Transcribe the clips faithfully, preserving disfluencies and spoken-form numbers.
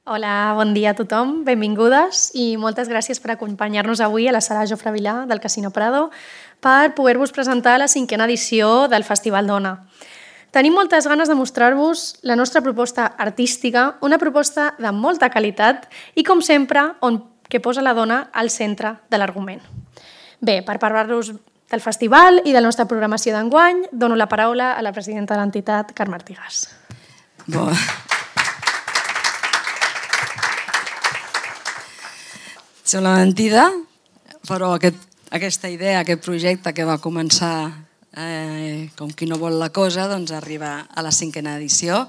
Hola, bon dia a tothom, benvingudes i moltes gràcies per acompanyar-nos avui a la sala Jofre Vilà del Casino Prado per poder-vos presentar la cinquena edició del Festival Dona. Tenim moltes ganes de mostrar-vos la nostra proposta artística, una proposta de molta qualitat i, com sempre, on que posa la dona al centre de l'argument. Bé, per parlar-vos del festival i de la nostra programació d'enguany, dono la paraula a la presidenta de l'entitat, Carme Artigas. Bon. Som la mentida, però aquest, aquesta idea, aquest projecte que va començar eh, com qui no vol la cosa, doncs arriba a la cinquena edició,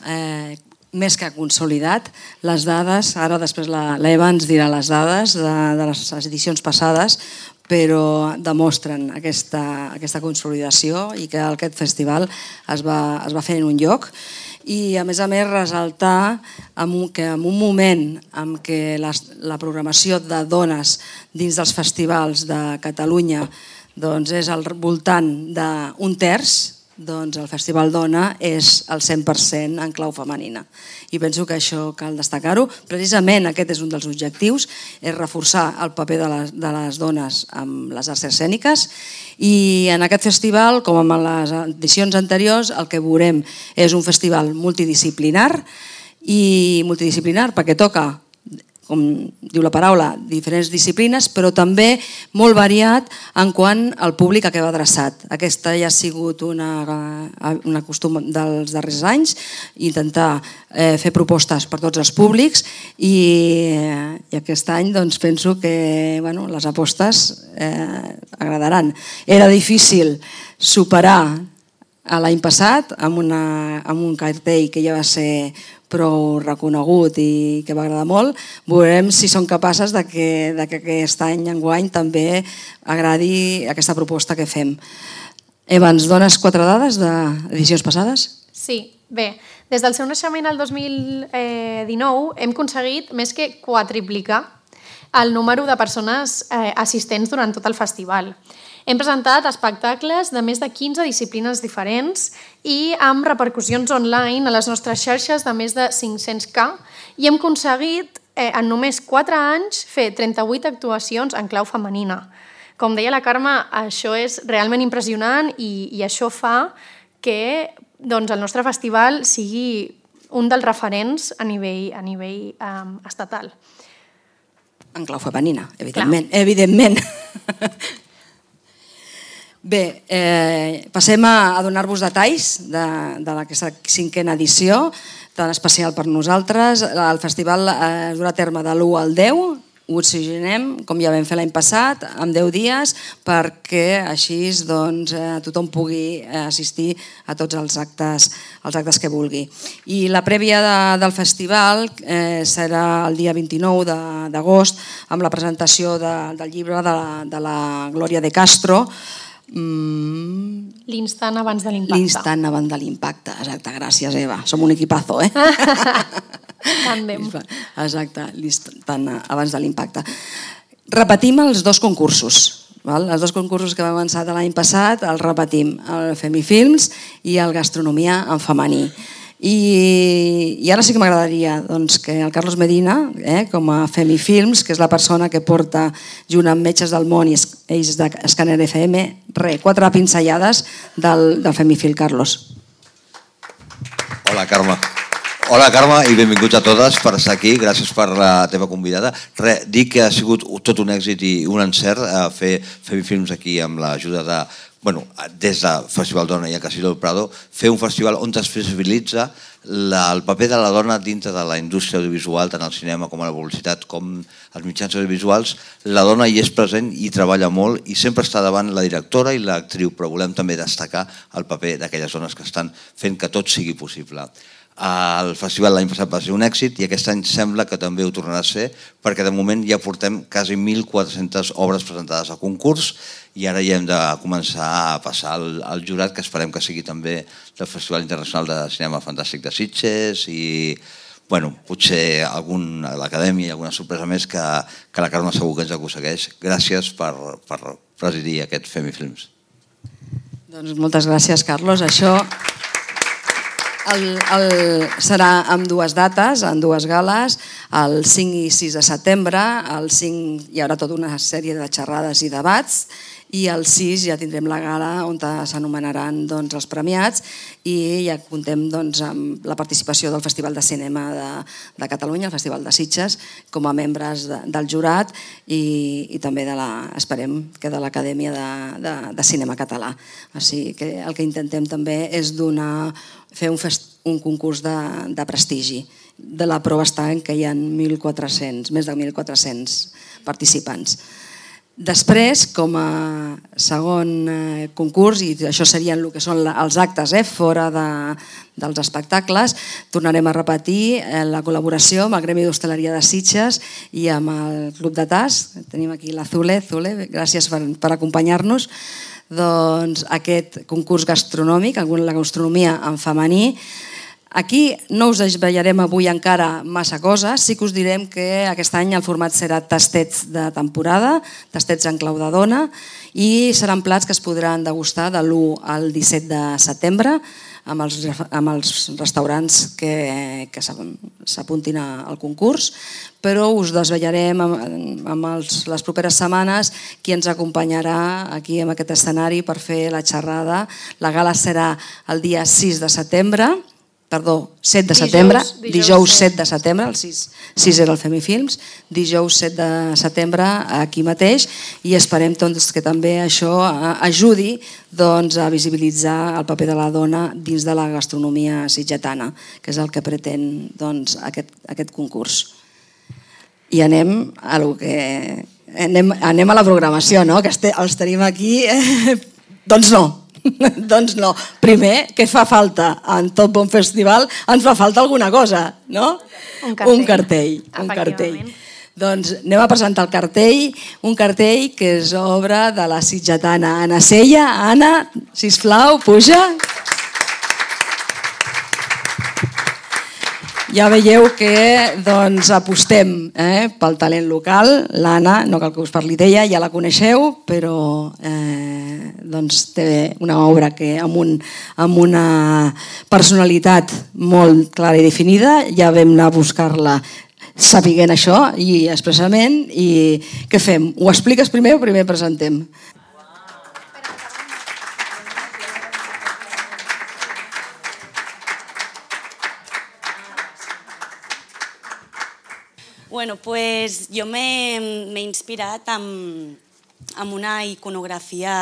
eh, més que consolidat. Les dades, ara després l'Eva ens dirà les dades de, de les edicions passades, però demostren aquesta, aquesta consolidació i que aquest festival es va, es va fer en un lloc. I a més a més ressaltar que en un moment en què la, la programació de dones dins dels festivals de Catalunya doncs és al voltant d'un terç, doncs el Festival Dona és el cent per cent en clau femenina. I penso que això cal destacar-ho. Precisament aquest és un dels objectius, és reforçar el paper de les, de les dones amb les arts escèniques, i en aquest festival, com en les edicions anteriors, el que veurem és un festival multidisciplinar, i multidisciplinar perquè toca, com diu la paraula, diferents disciplines, però també molt variat en quant al públic a què va adreçat. Aquesta ja ha sigut una, una costum dels darrers anys, intentar eh, fer propostes per tots els públics, i, i aquest any doncs, penso que bueno, les apostes eh, agradaran. Era difícil superar l'any passat amb, una, amb un cartell que ja va ser prou reconegut i que va agradar molt. Veurem si són capaces de que, de que aquest any, enguany, també agradi aquesta proposta que fem. Eva, ens dones quatre dades d'edicions passades? Sí, bé, des del seu naixement el dos mil dinou hem aconseguit més que quadriplicar el número de persones eh, assistents durant tot el festival. Hem presentat espectacles de més de quinze disciplines diferents i amb repercussions online a les nostres xarxes de més de cinc-cents K, i hem aconseguit eh, en només quatre anys fer trenta-vuit actuacions en clau femenina. Com deia la Carme, això és realment impressionant i, i això fa que doncs, el nostre festival sigui un dels referents a nivell, a nivell um, estatal. En clau femenina, evidentment. Clar. Evidentment. Bé, eh, passem a, a donar-vos detalls de, de aquesta cinquena edició, tan especial per nosaltres. El festival eh, es durà a terme de l'u al deu, ho oxigenem, com ja vam fer l'any passat, en deu dies, perquè així doncs, eh, tothom pugui assistir a tots els actes, els actes que vulgui. I la prèvia de, del festival eh, serà el dia vint-i-nou d'agost, amb la presentació de, del llibre de la, de la Glòria de Castro, Mm. L'instant abans de l'impacte. L'instant abans de l'impacte, exacte, gràcies Eva, som un equipazo, eh? Tàndem. Exacte, l'instant abans de l'impacte. Repetim els dos concursos, val? Els dos concursos que vam avançar l'any passat els repetim, el Femifilms i el Gastronomia en femení. I, i ara sí que m'agradaria doncs, que el Carlos Medina, eh, com a Femifilms, que és la persona que porta junt amb Metges del Món i ells d'Escàner F M, re, quatre pinzellades del, del Femifil. Carlos. Hola, Carme. Hola, Carme, i benvinguts a totes per estar aquí. Gràcies per la teva convidada. Re, dir que ha sigut tot un èxit i un encert fer Femifilms aquí amb l'ajuda de... Bueno, des del Festival Dona i el Casino del Prado, fer un festival on es visibilitza la, el paper de la dona dintre de la indústria audiovisual, tant al cinema com a la publicitat, com als mitjans audiovisuals. La dona hi és present i treballa molt i sempre està davant la directora i l'actriu, però volem també destacar el paper d'aquelles dones que estan fent que tot sigui possible. El festival l'any passat va ser un èxit i aquest any sembla que també ho tornarà a ser, perquè de moment ja portem quasi mil quatre-centes obres presentades al concurs i ara ja hem de començar a passar al, al jurat, que esperem que sigui també del Festival Internacional de Cinema Fantàstic de Sitges, i bueno, potser algun, a l'acadèmia i alguna sorpresa més que, que la Carme segur que ens aconsegueix. Gràcies per, per presidir aquest Femifilms. Doncs moltes gràcies, Carlos. Això... el, el, serà amb dues dates, en dues gales, el cinc i sis de setembre. El cinc hi haurà tota una sèrie de xerrades i debats, i el sis ja tindrem la gala on s'anomenaran doncs, els premiats, i ja comptem doncs, amb la participació del Festival de Cinema de, de Catalunya, el Festival de Sitges, com a membres de, del jurat, i, i també de la, esperem que de l'Acadèmia de, de, de Cinema Català. O sigui que el que intentem també és donar, fer un, fest, un concurs de, de prestigi. De la prova està en què hi ha mil quatre-cents, més de mil quatre-cents participants. Després, com a segon concurs, i això serien el que són els actes eh, fora de, dels espectacles, tornarem a repetir la col·laboració amb el Gremi d'Hostaleria de Sitges i amb el Club de Tas. Tenim aquí la Zule. Zule, gràcies per, per acompanyar-nos. Doncs aquest concurs gastronòmic, la gastronomia en femení. Aquí no us desvetllarem avui encara massa coses, sí que us direm que aquest any el format serà tastets de temporada, tastets en clau de dona, i seran plats que es podran degustar de l'u al disset de setembre amb els, amb els restaurants que, que s'apuntin al concurs, però us desvetllarem amb, amb els, les properes setmanes qui ens acompanyarà aquí en aquest escenari per fer la xerrada. La gala serà el dia sis de setembre, perdó, set de setembre, dijous set de setembre, el sis era el Femifilms, dijous set de setembre aquí mateix, i esperem que també això ajudi a visibilitzar el paper de la dona dins de la gastronomia sitgetana, que és el que pretén aquest concurs. I anem a lo que... anem a la programació, no? Que els tenim aquí... Doncs no. Doncs no. Primer, què fa falta en tot bon festival? Ens fa falta alguna cosa, no? Un cartell. Un cartell. Un cartell. Doncs anem a presentar el cartell, un cartell que és obra de la sitgetana Anna Sella. Anna, sisplau, puja. Ja veieu que doncs, apostem eh, pel talent local. L'Anna, no cal que us parli d'ella, ja la coneixeu, però eh, doncs, té una obra que amb, un, amb una personalitat molt clara i definida. Ja vam anar a buscar-la sapiguent això i expressament. I què fem? Ho expliques primer o primer presentem? Bueno, pues jo m'he inspirat amb, amb una iconografia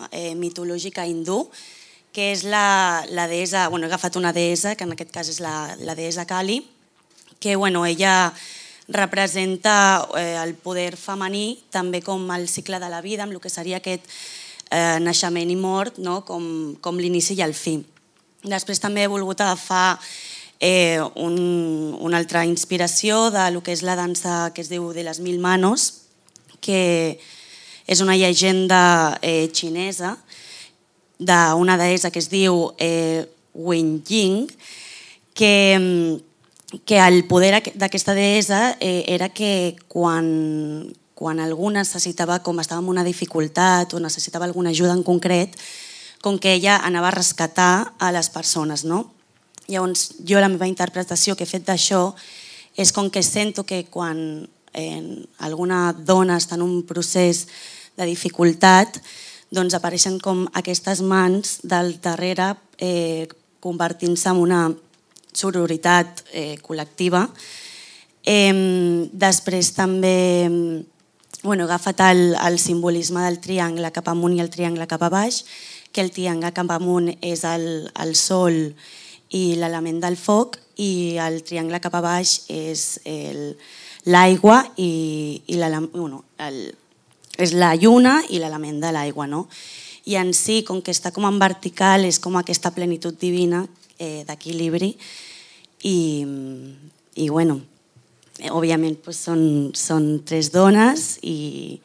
eh, mitològica hindú, que és la, la deessa, bueno, he agafat una deessa, que en aquest cas és la, la deessa Kali, que bueno, ella representa eh, el poder femení, també com el cicle de la vida, amb el que seria aquest eh, naixement i mort, no? com, com l'inici i el fi. Després també he volgut agafar Eh, un, una altra inspiració de lo que és la dansa que es diu de les mil manos, que és una llegenda eh, xinesa d'una deessa que es diu eh, Wen Ying, que, que el poder d'aquesta deessa eh, era que quan, quan algú necessitava, com estava en una dificultat o necessitava alguna ajuda en concret, com que ella anava a rescatar a les persones, no? Llavors, jo la meva interpretació que he fet d'això és com que sento que quan eh, alguna dona està en un procés de dificultat, doncs apareixen com aquestes mans del darrere eh, convertint-se en una sororitat eh, col·lectiva. Eh, després també bueno, he agafat el, el simbolisme del triangle cap amunt i el triangle cap a baix, que el triangle cap amunt és el, el sol i l'element del foc, i el triangle cap a baix és l'aigua i, i bueno, el, és la lluna i l'element de l'aigua, no? I en si, com que està com en vertical, és com aquesta plenitud divina eh, d'equilibri, i, i bueno, òbviament pues, són, són tres dones, i,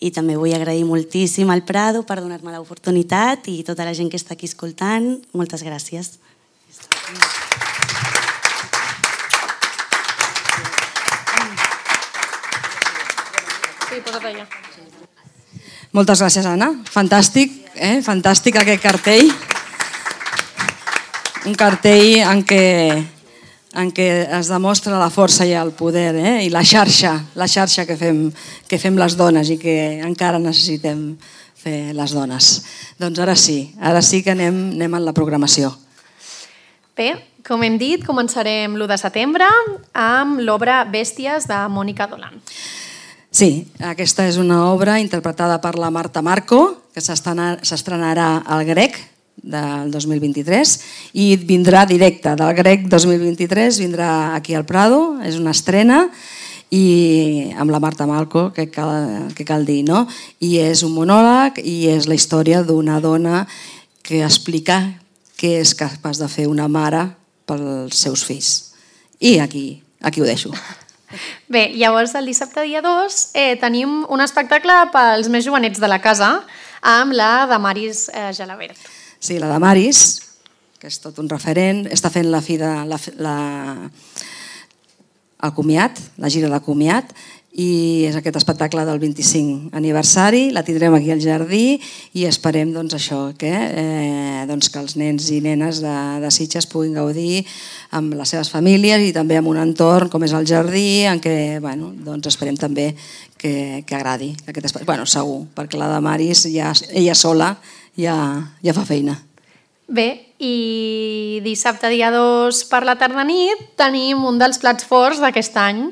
i també vull agrair moltíssim al Prado per donar-me l'oportunitat, i tota la gent que està aquí escoltant, moltes gràcies. Sí, posa't allà. Moltes gràcies, Anna. Fantàstic, eh? Fantàstic aquest cartell. un cartell en què, en què es demostra la força i el poder, eh? I la xarxa, la xarxa que fem, que fem les dones i que encara necessitem fer les dones. Doncs ara sí, ara sí que anem, anem en la programació. Bé, com hem dit, començarem l'u de setembre amb l'obra Bèsties de Mònica Dolan. Sí, aquesta és una obra interpretada per la Marta Marco, que s'estrenarà al Grec del dos mil vint-i-tres i vindrà directe del Grec dos mil vint-i-tres, vindrà aquí al Prado, és una estrena, i amb la Marta Marco, que cal, que cal dir, no? I és un monòleg i és la història d'una dona que explica què és capaç de fer una mare pels seus fills. I aquí, aquí ho deixo. Bé, llavors el dissabte dia dos eh, tenim un espectacle pels més jovenets de la casa amb la Damaris eh, Gelabert. Sí, la Damaris, que és tot un referent, està fent la fi de la, la, el comiat, la gira de comiat, i és aquest espectacle del vint-i-cinc aniversari, la tindrem aquí al jardí i esperem doncs, això, que, eh, doncs, que els nens i nenes de, de Sitges puguin gaudir amb les seves famílies i també amb un entorn com és el jardí, en què bueno, doncs esperem també que, que agradi. Aquest espai. Bueno, segur, perquè la Damaris ja, ella sola ja, ja fa feina. Bé, i dissabte dia dos per la tarda nit tenim un dels plats forts d'aquest any,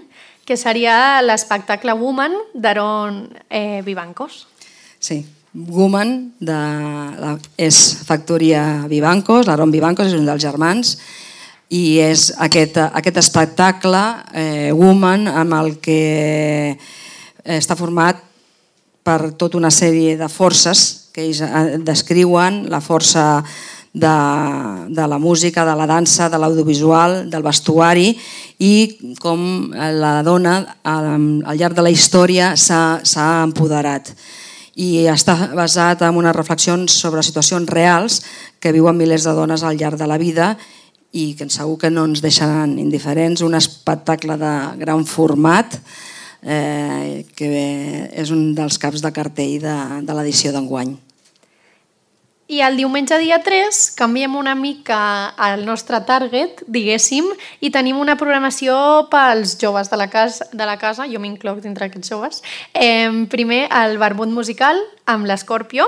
que seria l'espectacle Woman d'Aaron eh, Vivancos. Sí, Woman de, la, és factoria Vivancos, l'Aaron Vivancos és un dels germans, i és aquest, aquest espectacle eh, Woman amb el que està format per tota una sèrie de forces que ells descriuen, la força de, de la música, de la dansa, de l'audiovisual, del vestuari, i com la dona al llarg de la història s'ha empoderat. I està basat en unes reflexions sobre situacions reals que viuen milers de dones al llarg de la vida i que segur que no ens deixaran indiferents. Un espectacle de gran format eh, que és un dels caps de cartell de, de l'edició d'enguany. I el diumenge dia tres canviem una mica el nostre target, diguéssim, i tenim una programació pels joves de la casa, de la casa jo m'incloc dintre aquests joves. Eh, primer, el barbut musical amb l'Escorpio.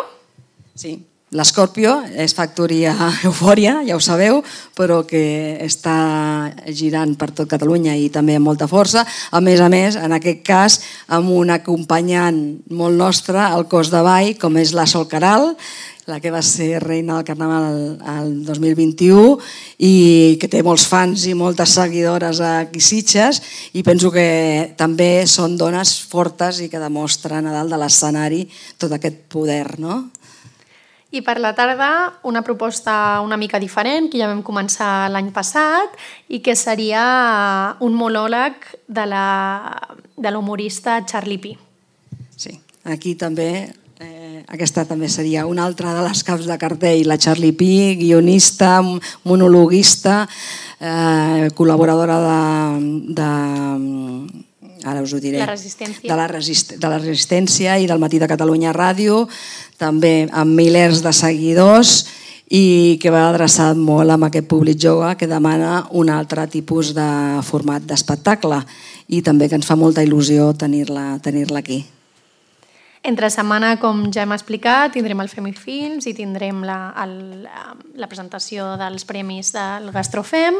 Sí, l'Escorpio és factoria Eufòria, ja ho sabeu, però que està girant per tot Catalunya i també amb molta força. A més a més, en aquest cas, amb un acompanyant molt nostre, el cos de ball, com és la Sol Caral, la que va ser reina del Carnaval el dos mil vint-i-u i que té molts fans i moltes seguidores aquí a Sitges, i penso que també són dones fortes i que demostren a dalt de l'escenari tot aquest poder, no? I per la tarda una proposta una mica diferent, que ja vam començar l'any passat, i que seria un monòleg de l'humorista Charlie Pi. Sí, aquí també... Aquesta també seria una altra de les caps de cartell, la Charlie Pi, guionista, monologuista, eh, col·laboradora de, de, ara us ho diré, la resistència. De, la resist, de la Resistència i del Matí de Catalunya Ràdio, també amb milers de seguidors i que va adreçat molt amb aquest públic jove que demana un altre tipus de format d'espectacle i també que ens fa molta il·lusió tenir-la tenir-la aquí. Entre setmana, com ja hem explicat, tindrem el Femifilms i tindrem la, el, la presentació dels premis del Gastrofem,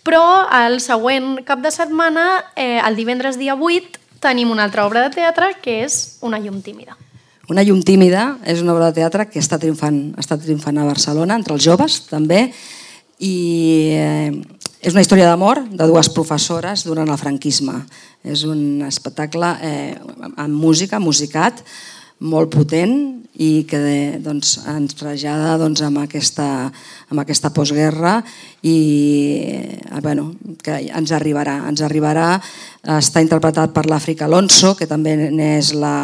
però el següent cap de setmana, eh, el divendres dia vuit, tenim una altra obra de teatre que és Una llum tímida. Una llum tímida és una obra de teatre que està triomfant, està triomfant a Barcelona, entre els joves també, i eh, és una història d'amor de dues professores durant el franquisme. És un espectacle eh, amb música, musicat, molt potent i que doncs, ens trasllada doncs, amb, aquesta, amb aquesta postguerra i eh, bueno, que ens arribarà. Ens arribarà, està interpretat per l'Àfrica Alonso, que també n'és la,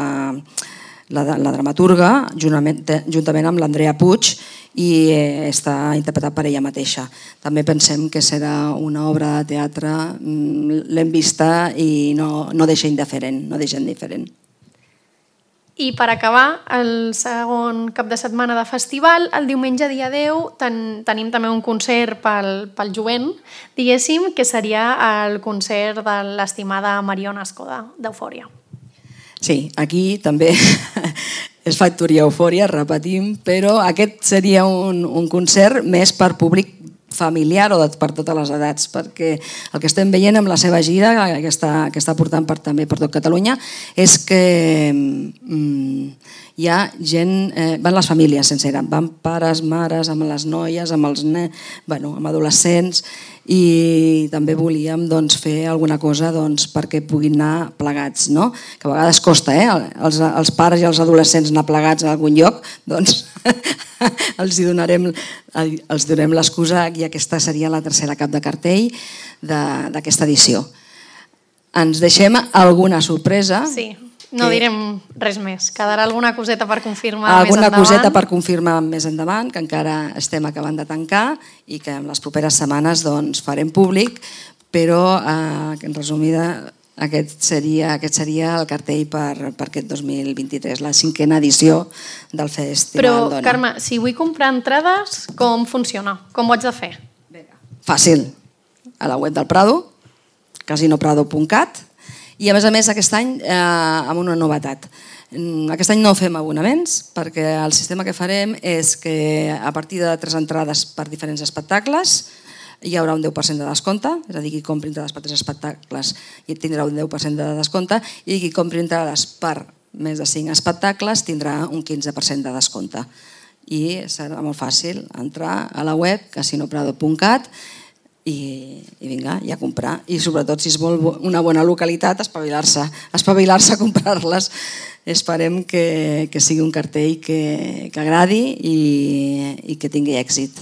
la, la dramaturga, juntament, juntament amb l'Andrea Puig, i està interpretat per ella mateixa. També pensem que serà una obra de teatre, l'hem vista i no, no deixa indiferent, no deixa indiferent. I per acabar, el segon cap de setmana de festival, el diumenge dia deu, ten, tenim també un concert pel, pel jovent, diguéssim, que seria el concert de l'estimada Mariona Escoda, d'Eufòria. Sí, aquí també és factoria Eufòria, repetim, però aquest seria un, un concert més per públic familiar o de, per totes les edats, perquè el que estem veient amb la seva gira, que està, que està portant per, també per tot Catalunya, és que mm, hi ha gent, eh, van les famílies senceres, van pares, mares, amb les noies, amb els nens, bueno, amb adolescents, i també volíem doncs, fer alguna cosa doncs, perquè puguin anar plegats, no? Que a vegades costa, eh? Els, els pares i els adolescents anar plegats a algun lloc, doncs els hi donarem, els donem l'excusa i aquesta seria la tercera cap de cartell d'aquesta edició. Ens deixem alguna sorpresa. Sí. No que... direm res més. Quedarà alguna coseta per confirmar alguna més endavant. Alguna coseta per confirmar més endavant, que encara estem acabant de tancar i que en les properes setmanes doncs, farem públic, però eh, en resumida aquest seria, aquest seria el cartell per, per aquest dos mil vint-i-tres, la cinquena edició del Festival però, Dona. Però, Carme, si vull comprar entrades, com funciona? Com ho haig de fer? Fàcil. A la web del Prado, casino prado punt cat. I a més a més aquest any eh, amb una novetat. Aquest any no fem abonaments perquè el sistema que farem és que a partir de tres entrades per diferents espectacles hi haurà un deu per cent de descompte, és a dir, qui compri entrades per tres espectacles i tindrà un deu per cent de descompte i qui compri entrades per més de cinc espectacles tindrà un quinze per cent de descompte. I serà molt fàcil entrar a la web casino prado punt cat I, i vinga, i a comprar. I sobretot, si es vol una bona localitat, espavilar-se, espavilar-se a comprar-les. Esperem que, que sigui un cartell que, que agradi i, i que tingui èxit.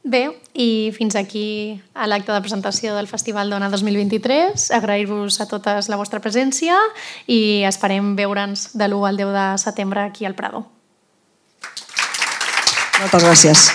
Bé, i fins aquí a l'acte de presentació del Festival Dona dos mil vint-i-tres. Agrair-vos a totes la vostra presència i esperem veure'ns de l'u al deu de setembre aquí al Prado. Moltes gràcies.